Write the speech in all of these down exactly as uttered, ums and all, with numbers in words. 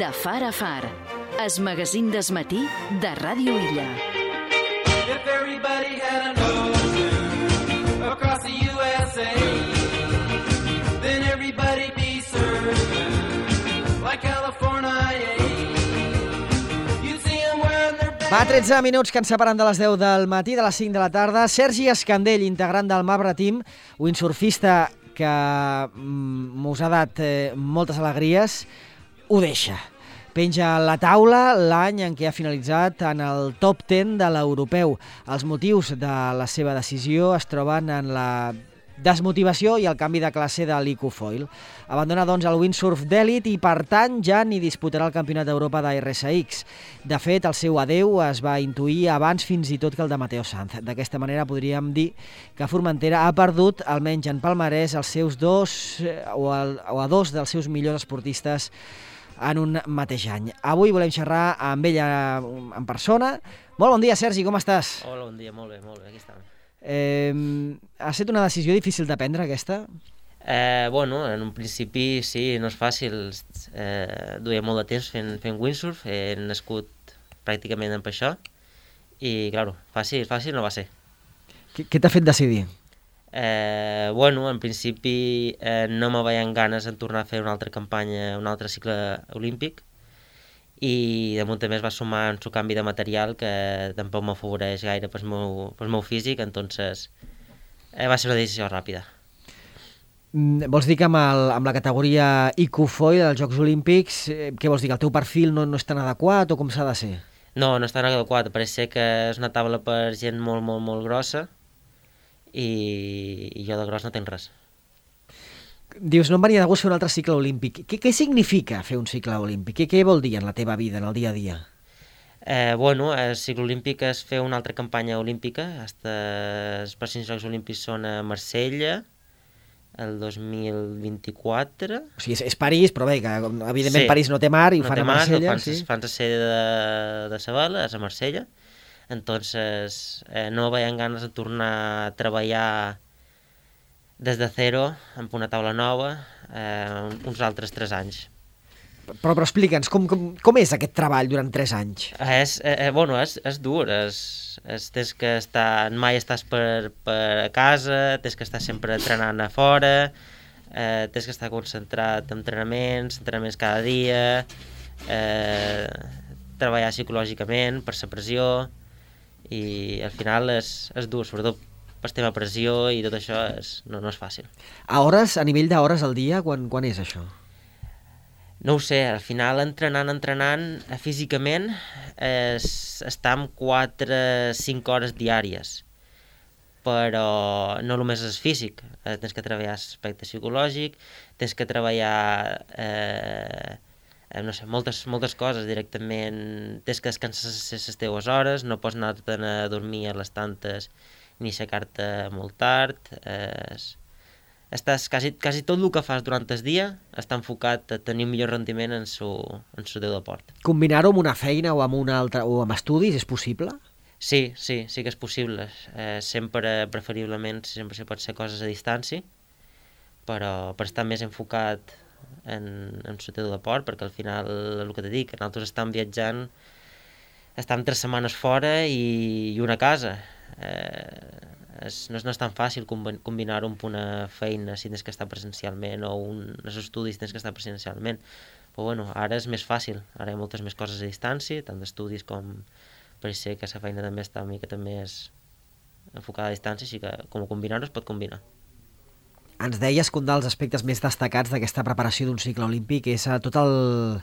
De far a far, es magazín d'esmatí de Ràdio Illa. If everybody had an ocean across the U S A, then everybody'd be served like California. You'd see them wearing their best. Va, tretze minuts que ens separen de les deu del matí, de les cinc de la tarda. Sergi Escandell, integrant del Mabra Team, windsurfista que mm, mos ha dat eh, moltes alegries, ho deixa. Penja a la taula l'any en què ha finalitzat en el top deu de l'europeu. Els motius de la seva decisió es troben en la desmotivació i el canvi de classe de l'Icofoil. Abandona, doncs, el windsurf d'èlit i, per tant, ja ni disputarà el Campionat d'Europa d'R S X. De fet, el seu adeu es va intuir abans fins i tot que el de Mateo Sanz. D'aquesta manera podríem dir que Formentera ha perdut, almenys en palmarès, els seus dos o, el, o a dos dels seus millors esportistes en un mateix any. Avui volem xerrar amb ella en persona. Molt bon dia, Sergi, com estàs? Hola, bon dia, molt bé, molt bé, aquí estem. Eh, ha estat una decisió difícil de prendre, aquesta? Eh, bueno, en un principi sí, no és fàcil. Eh, duia molt de temps fent, fent windsurf, he nascut pràcticament amb això i, clar, fàcil, fàcil no va ser. Què, què t'ha fet decidir? Eh, bueno, en principi eh, no me veien ganes en tornar a fer una altra campanya, un altre cicle olímpic, i damunt també es va sumar un canvi de material que tampoc m'afavoreix gaire pel meu, pel meu físic, entonces eh, va ser una decisió ràpida. Mm, vols dir que amb, el, amb la categoria Icofoil dels Jocs Olímpics, eh, què vols dir, que el teu perfil no, no és tan adequat o com s'ha de ser? No, no és tan adequat, pareix ser que és una taula per gent molt, molt, molt grossa, i, i jo de gros no tinc res. Dius, no em venia de gust fer un altre cicle olímpic. Què, què significa fer un cicle olímpic? Què, què vol dir en la teva vida, en el dia a dia? Eh, bueno, el cicle olímpic és fer una altra campanya olímpica. Hasta els pròxims Jocs Olímpics són a Marsella, el dos mil vint-i-quatre. O sigui, és, és París, però bé, que evidentment Sí. París no té mar i ho No fan té a mar, Marsella. no fan, Sí? fan la sede de, de Sabela, és a Marsella. Entonces, eh, no veien ganes de tornar a treballar des de zero, amb una taula nova, eh, uns altres tres anys. Però, però explica'ns, com, com, com és aquest treball durant tres anys? És, eh, bueno, és, és dur, és, és, tens que estar, mai estàs per, per a casa, tens que estar sempre entrenant a fora, eh, tens que estar concentrat en entrenaments, entrenaments cada dia, eh, treballar psicològicament per la pressió, i al final és, és dur, sobretot per tema pressió i tot això és, no, no és fàcil. A hores, a nivell d'hores al dia, quan, quan és això? No ho sé, al final entrenant, entrenant, eh, físicament, és, està amb quatre cinc hores diàries, però no només és físic, eh, tens que treballar aspecte psicològic, tens que treballar eh, eh, no sé, moltes, moltes coses directament, tens que descansar les teves hores, no pots anar-te'n a dormir a les tantes ni aixecar-te molt tard, eh, estàs, quasi, quasi tot el que fas durant el dia està enfocat a tenir un millor rendiment en su, en su teu deport. Combinar-ho amb una feina o amb una altra o amb estudis és possible? Sí, sí, sí que és possible. Eh, sempre, preferiblement, sempre se pot ser coses a distància, però per estar més enfocat en, en el teu deport, perquè al final, el que t'he dit, que nosaltres estem viatjant, estem tres setmanes fora i, i una a casa. Eh, és, no, és, no és tan fàcil combinar-ho amb una feina si tens que estar presencialment o un, els estudis tens que estar presencialment. Però bueno, ara és més fàcil, ara hi ha moltes més coses a distància, tant d'estudis com per ser que la feina també està una mica més enfocada a distància, així que com combinar-ho es pot combinar. Ens deies que un dels aspectes més destacats d'aquesta preparació d'un cicle olímpic és tot el,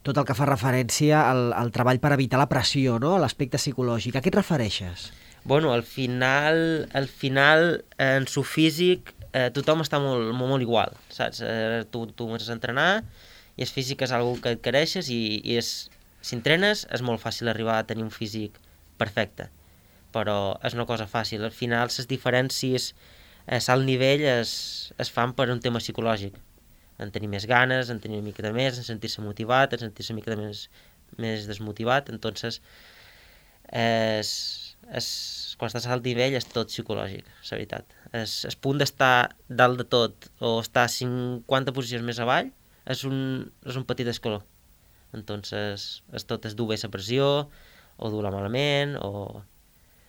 tot el que fa referència al, al treball per evitar la pressió, no? L'aspecte psicològic. A què et refereixes? Bueno, al final, al final en su físic, eh, tothom està molt, molt, molt igual, saps? Eh, tu, tu comences a entrenar i el físic és una que adquireixes i, i és, si entrenes és molt fàcil arribar a tenir un físic perfecte, però és una cosa fàcil. Al final, les diferències a alt nivell es, es fan per un tema psicològic, en tenir més ganes, en tenir una mica de més, en sentir-se motivat, en sentir-se una mica de més, més desmotivat, entonces és, és, quan estàs a alt nivell és tot psicològic, la veritat. És, el punt d'estar dalt de tot o estar cinquanta posicions més avall és un, és un petit escaló. Entonces, és tot és dur bé la pressió, o dur-la malament, o...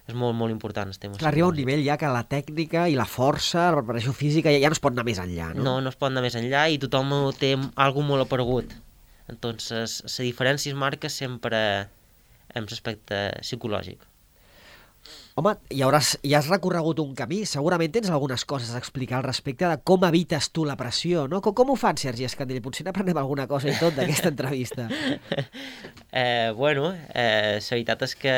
És molt, molt important el tema. Clar, arriba un nivell ja que la tècnica i la força, la preparació física, ja, ja no es pot anar més enllà, no? No, no es pot anar més enllà i tothom té alguna molt aparegut. Entonces, la diferència es marca sempre en l'aspecte psicològic. Home, i hauràs, ja has recorregut un camí, segurament tens algunes coses a explicar al respecte de com evites tu la pressió, no? Com, com ho fan, Sergi Escandell? Potser n'aprenem alguna cosa i tot d'aquesta entrevista. eh, bueno, eh, la veritat és que...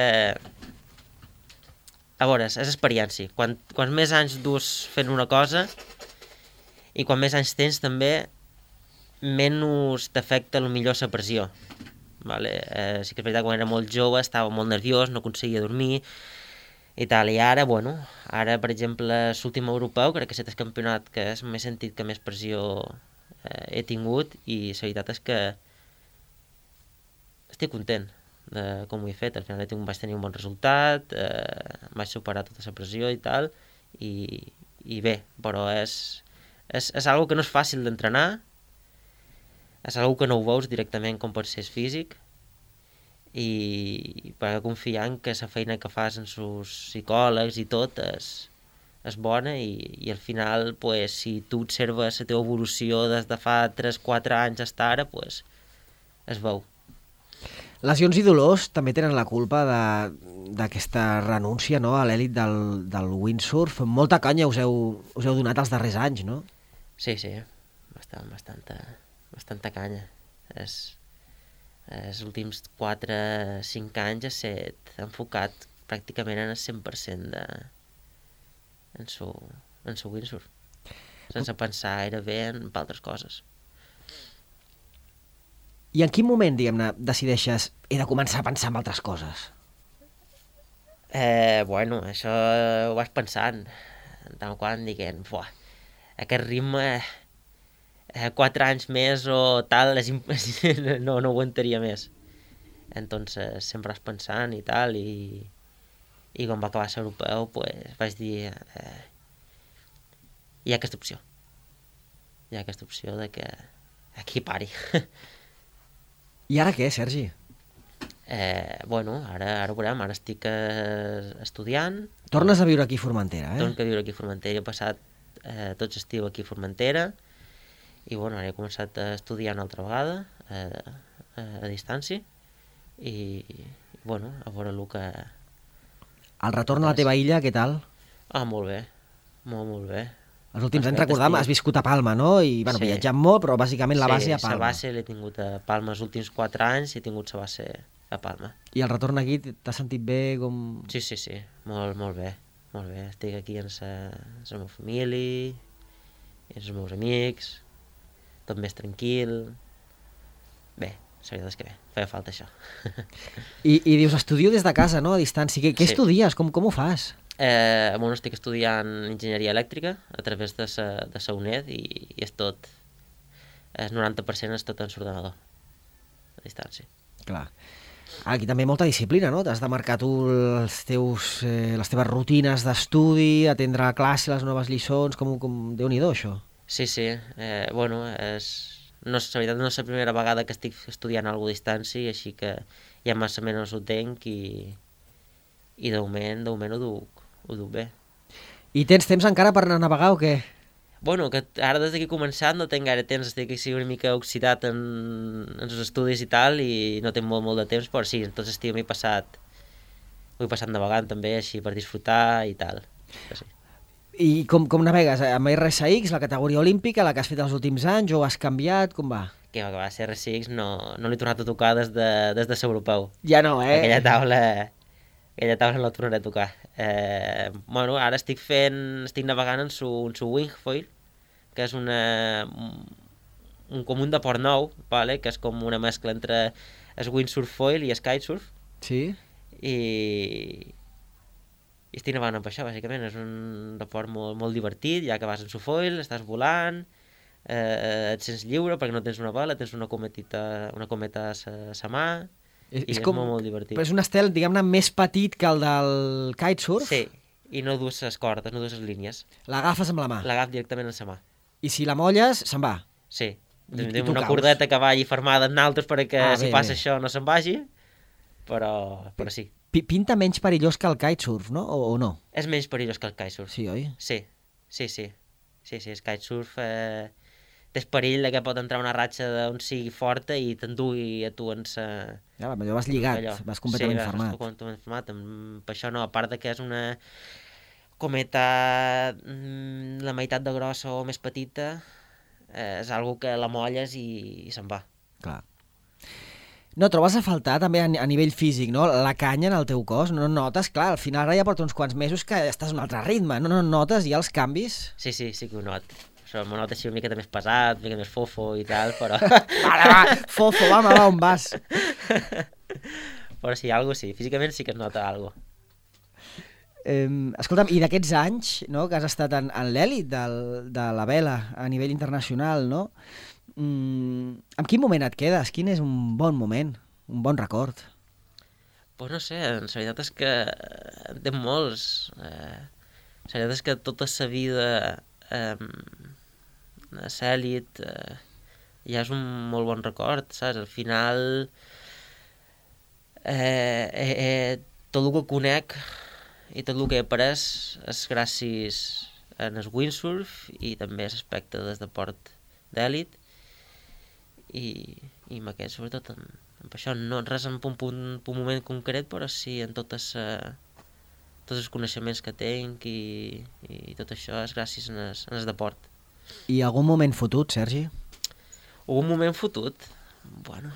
A veure, és experiència. Quan, quants més anys dus fent una cosa i quan més anys tens també, menys t'afecta millor la pressió. Vale? Eh, sí que és veritat, quan era molt jove estava molt nerviós, no aconseguia dormir i tal, i ara, bueno, ara, per exemple, l'últim europeu, crec que és el campionat que m'he sentit que més pressió eh, he tingut i la veritat és que estic content de com ho he fet. Al final he tingut, vaig tenir un bon resultat, eh, vaig superar tota la pressió i tal, i, i bé, però és, és, és algo que no és fàcil d'entrenar, és algo que no ho veus directament com pot ser físic, i per confiar en que la feina que fas en els psicòlegs i tot és, és bona, i, i al final, pues, si tu observes la teva evolució des de fa tres quatre anys fins ara, pues, es veu. Lesions i dolors també tenen la culpa d'aquesta renúncia, no?, a l'èlit del, del windsurf. Molta canya us heu, us heu donat els darrers anys, no? Sí, sí, bastant, bastanta, bastanta canya. És, els últims quatre cinc anys ha estat enfocat pràcticament en el cent per cent de, en su, en su windsurf, sense pensar gairebé en altres coses. I en quin moment, diguem-ne, decideixes he de començar a pensar en altres coses? Eh, bueno, això ho vaig pensant, tant quan diguem, buah, aquest ritme, eh, quatre anys més o tal, és imp... no, no aguantaria més. Entonces, sempre vas pensant i tal, i, i quan va acabar l'europeu, pues, vaig dir, eh, hi ha aquesta opció. Hi ha aquesta opció de que aquí pari. I ara què, Sergi? Eh, bueno, ara, ara ho veurem, ara estic eh, estudiant. Tornes a viure aquí a Formentera, eh? Torno a viure aquí a Formentera, he passat eh, tot l'estiu aquí a Formentera, i bueno, ara he començat a estudiar una altra vegada, eh, a distància, i bueno, a veure el que... El retorn a la teva illa, què tal? Ah, molt bé, molt, molt bé. Els últims anys, recordam, has viscut a Palma, no? I, bueno, Sí. viatjat molt, però bàsicament la base a Sí, la Palma. base l'he tingut a Palma els últims quatre anys, he tingut la base a Palma. I el retorn aquí, t'has sentit bé, com... Sí, sí, sí, molt, molt bé, molt bé. Estic aquí amb la, amb la meva família, i amb els meus amics, tot més tranquil. Bé, la veritat és que bé, feia falta això. I, i dius, estudio des de casa, no?, a distància. Què, què Sí. estudies? Com, com ho fas? Eh, bueno, estic estudiant enginyeria elèctrica a través de sa, de sa UNED, i, i és tot, el noranta per cent és tot en l'ordenador, a distància. Clar. Aquí també molta disciplina, no? T'has de marcar tu els teus, eh, les teves rutines d'estudi, atendre a classe, les noves lliçons, com, com... Déu-n'hi-do, això. Sí, sí, eh, bueno, és... No, la veritat no és la primera vegada que estic estudiant alguna a distància, així que ja massa menys ho tenc, i, i de moment, de moment ho duc, ho duc bé. I tens temps encara per anar a navegar o què? Bueno, que ara des d'aquí començant no tinc gaire temps, estic així una mica oxidat en, en els estudis i tal, i no tinc molt, molt de temps, però sí, tot l'estiu m'he passat, ho he passat navegant també, així per disfrutar i tal. Però sí. I com, com navegues? Amb R S X, la categoria olímpica, la que has fet els últims anys, o has canviat? Com va? Que va, que va ser R S X, no, no l'he tornat a tocar des de, des de l'europeu. Ja no, eh? Aquella taula, aquella taula no la tornaré a tocar. Eh, bueno, ara estic fent, estic navegant en su, en su wingfoil, que és una, un, com un deport nou, vale? Que és com una mescla entre el windsurf foil i el kitesurf, Sí? i, i estic navegant amb això, bàsicament. És un deport molt, molt divertit, ja que vas en su foil, estàs volant, eh, et sents lliure perquè no tens una vela, tens una cometita, una cometa a sa, sa mà, És, i és és com, molt, molt divertit. però és un estel, diguem-ne, més petit que el del kitesurf. Sí, i no dus les cordes, no dus les línies. L'agafes amb la mà. L'agaf directament en sa mà. I si la molles, se'n va. Sí, I, i Tenim tu una caus. cordeta que vagi fermada en altres perquè Ah, si bé, passa bé. això no se'n vagi, però, però sí. P- Pinta menys perillós que el kitesurf, no? O, o no? És menys perillós que el kitesurf. Sí, oi? Sí, sí, sí. Sí, sí, el kitesurf eh, tens perill de que pot entrar una ratxa d'on sigui forta i t'endugui a tu en sa... Ja, allò vas lligat, allò. vas completament sí, fermat. Sí, vas completament fermat. Amb- Per això no, a part de que és una cometa mm, la meitat de grossa o més petita, eh, és algo que la molles i, i se'n va. Clar. No, trobes a faltar també a, a nivell físic, no? La canya en el teu cos, no notes? Clar, al final ara ja porta uns quants mesos que estàs a un altre ritme, no, no notes ja els canvis? Sí, sí, sí que ho not. Això m'ho nota així una miqueta més pesat, una mica més fofo i tal, però... Vale, va, fofo, va, va, on vas? Però sí, algo sí, físicament sí que es nota algo. Eh, escolta'm, i d'aquests anys, no?, que has estat en, en l'èlit del- de la vela a nivell internacional, no? Mm, en quin moment et quedes? Quin és un bon moment, un bon record? Pues no sé, en veritat és que en té molts. Eh, la veritat és que tota la vida eh, a l'èlit eh, ja és un molt bon record, saps? Al final eh, eh, eh, tot el que conec i tot el que he après és gràcies en el windsurf i també a l'aspecte del deport d'èlit i, i amb aquest sobretot en, en això no res en un, punt, un moment concret però sí en totes uh, tots els coneixements que tinc i, i tot això és gràcies en el, en el deport. I algun moment fotut, Sergi? Un moment fotut? Bueno,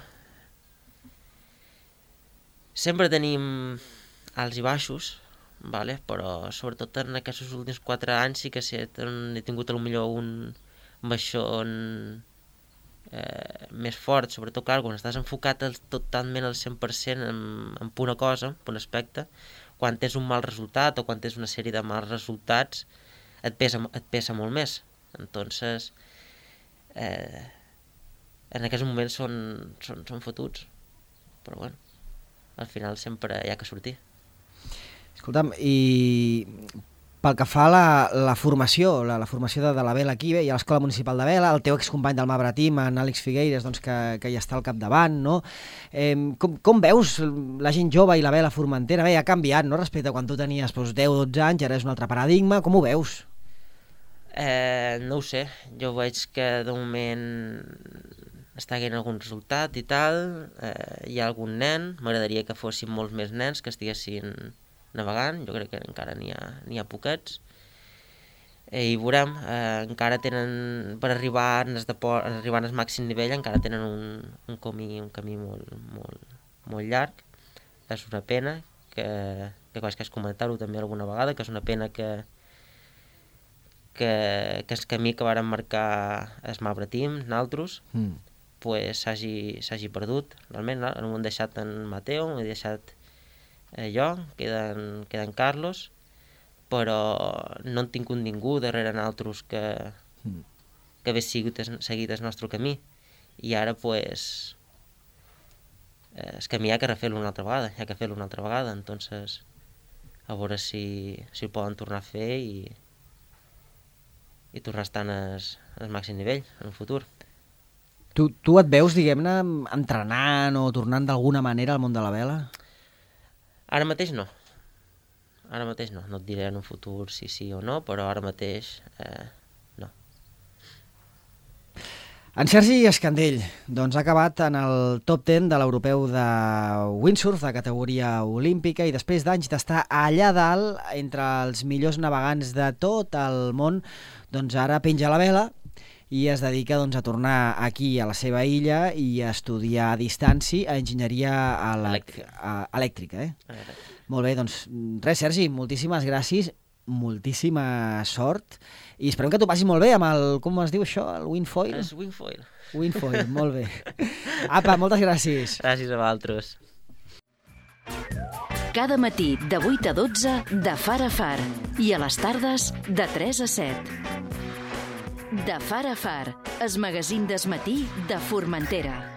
sempre tenim alts i baixos, vale? Però sobretot en aquests últims quatre anys sí que sí, he tingut potser un baixón eh, més fort, sobretot clar, quan estàs enfocat el, totalment al cent per cent en, en una cosa, en un aspecte, quan tens un mal resultat o quan tens una sèrie de mals resultats et pesa, et pesa molt més. Entonces eh, en aquests moments són, són, són fotuts, però bueno, al final sempre hi ha que sortir. Escolta'm, i pel que fa a la, la formació, la, la formació de, de la vela aquí, bé, hi ha l'Escola Municipal de Vela, el teu excompany del Mabre Team, en Àlex Figueires, doncs, que, que hi està al capdavant, no? Eh, com, com veus la gent jove i la vela formentera? Bé, ha canviat, no?, respecte a quan tu tenies doncs, deu o dotze anys, ara és un altre paradigma, com ho veus? Eh, no ho sé, jo veig que de moment està havent algun resultat i tal, eh, hi ha algun nen, m'agradaria que fossin molts més nens que estiguessin navegant, jo crec que encara n'hi ha, n'hi ha poquets, eh, i veurem, eh, encara tenen, per arribar en el, deport, arribar en el màxim nivell, encara tenen un, un camí, un camí molt, molt, molt llarg, és una pena, que, que quasi que has comentat-ho també alguna vegada, que és una pena que que, que el camí que varen marcar el Mabre Team, nosaltres, Mm. pues s'hagi s'hagi perdut, realment, no? No m'ho han deixat en Mateo, m'ho he deixat eh, jo, queda en, queda en Carlos, però no han tingut ningú darrere nosaltres que, Mm. que hagués seguit, seguit el nostre camí. I ara, pues, eh, el camí hi ha que refer-lo una altra vegada, hi ha que fer-lo una altra vegada, entonces a veure si, si ho poden tornar a fer i, i tornar a estar en el, en el màxim nivell en el futur. Tu, tu et veus, diguem-ne, entrenant o tornant d'alguna manera al món de la vela? Ara mateix no. Ara mateix no. No et diré en un futur si sí o no, però ara mateix eh, no. En Sergi Escandell, doncs ha acabat en el top deu de l'europeu de windsurf de categoria olímpica i després d'anys d'estar allà dalt entre els millors navegants de tot el món, doncs ara penja la vela i es dedica doncs, a tornar aquí a la seva illa i a estudiar a distància a enginyeria elec a elèctrica. Eh? Ara, Molt bé, doncs res, Sergi, moltíssimes gràcies, moltíssima sort i esperem que t'ho passi molt bé amb el, com es diu això, el windfoil? és wingfoil. Windfoil, molt bé. Apa, moltes gràcies. Gràcies a vosaltres. Cada matí de vuit a dotze de Far a Far i a les tardes de tres a set. De Far a Far, el magazín del matí de Formentera.